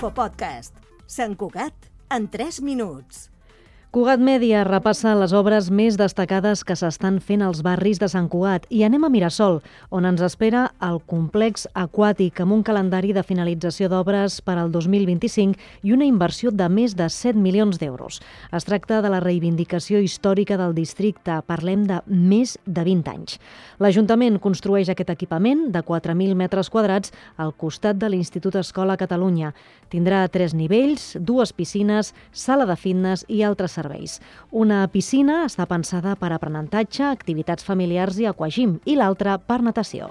Infopodcast. Sant Cugat en 3 minuts. Cugat Mèdia repassa les obres més destacades que s'estan fent als barris de Sant Cugat i anem a Mirasol, on ens espera el complex aquàtic amb un calendari de finalització d'obres per al 2025 i una inversió de més de 7 milions d'euros. Es tracta de la reivindicació històrica del districte, parlem de més de 20 anys. L'Ajuntament construeix aquest equipament de 4.000 metres quadrats al costat de l'Institut Escola Catalunya. Tindrà 3 nivells, 2 piscines, sala de fitness i altres serveis. Una piscina està pensada per aprenentatge, activitats familiars i aquagym i l'altra per natació.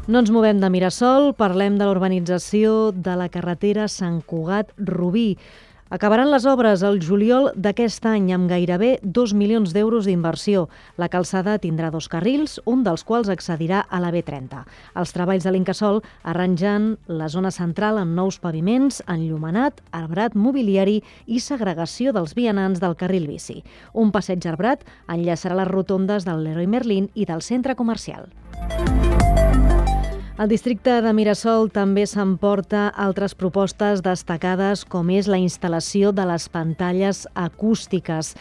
No ens movem de Mirasol, parlem de l'urbanització de la carretera Sant Cugat-Rubí. Acabaran les obres el juliol d'aquest any amb gairebé 2 milions d'euros d'inversió. La calçada tindrà 2 carrils, un dels quals accedirà a la B30. Els treballs de l'Incasòl arrangen la zona central amb nous paviments, enllumenat, arbrat mobiliari i segregació dels vianants del carril bici. Un passeig arbrat enllaçarà les rotondes del Leroy Merlin i del centre comercial. El districte de Mirasol també s'emporta altres propostes destacades com és la instal·lació de les pantalles acústiques,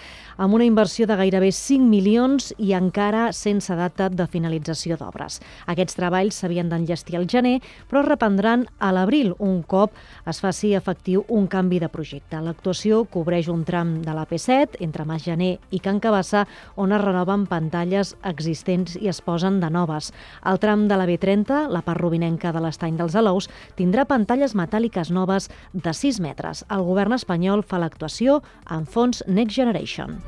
amb una inversió de gairebé 5 milions i encara sense data de finalització d'obres. Aquests treballs s'havien d'enllestir al gener, però es reprendran a l'abril, un cop es faci efectiu un canvi de projecte. L'actuació cobreix un tram de la P7 entre Mas Gener i Can Cabassa, on es renoven pantalles existents i es posen de noves. Al tram de la B30, la part rovinenca de l'Estany dels Alous, tindrà pantalles metàl·liques noves de 6 metres. El govern espanyol fa l'actuació amb fons Next Generation.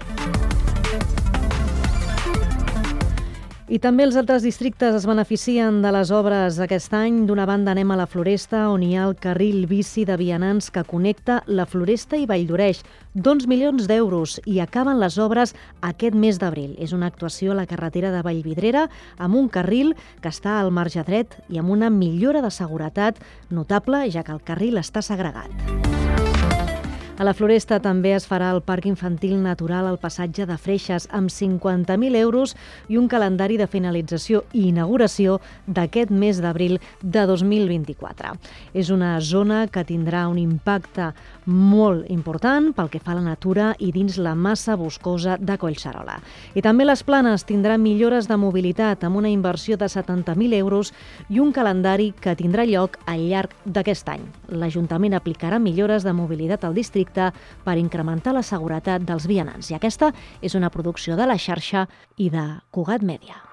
I també els altres districtes es beneficien de les obres aquest any. D'una banda anem a la Floresta, on hi ha el carril bici de vianants que connecta la Floresta i Valldoreix. 2 milions d'euros i acaben les obres aquest mes d'abril. És una actuació a la carretera de Vallvidrera amb un carril que està al marge dret i amb una millora de seguretat notable, ja que el carril està segregat. A la Floresta també es farà el Parc Infantil Natural al passatge de Freixes amb 50.000 euros i un calendari de finalització i inauguració d'aquest mes d'abril de 2024. És una zona que tindrà un impacte molt important pel que fa a la natura i dins la massa boscosa de Collserola. I també les Planes tindran millores de mobilitat amb una inversió de 70.000 euros i un calendari que tindrà lloc al llarg d'aquest any. L'Ajuntament aplicarà millores de mobilitat al districte per incrementar la seguretat dels vianants. I aquesta és una producció de La Xarxa i de Cugat Mèdia.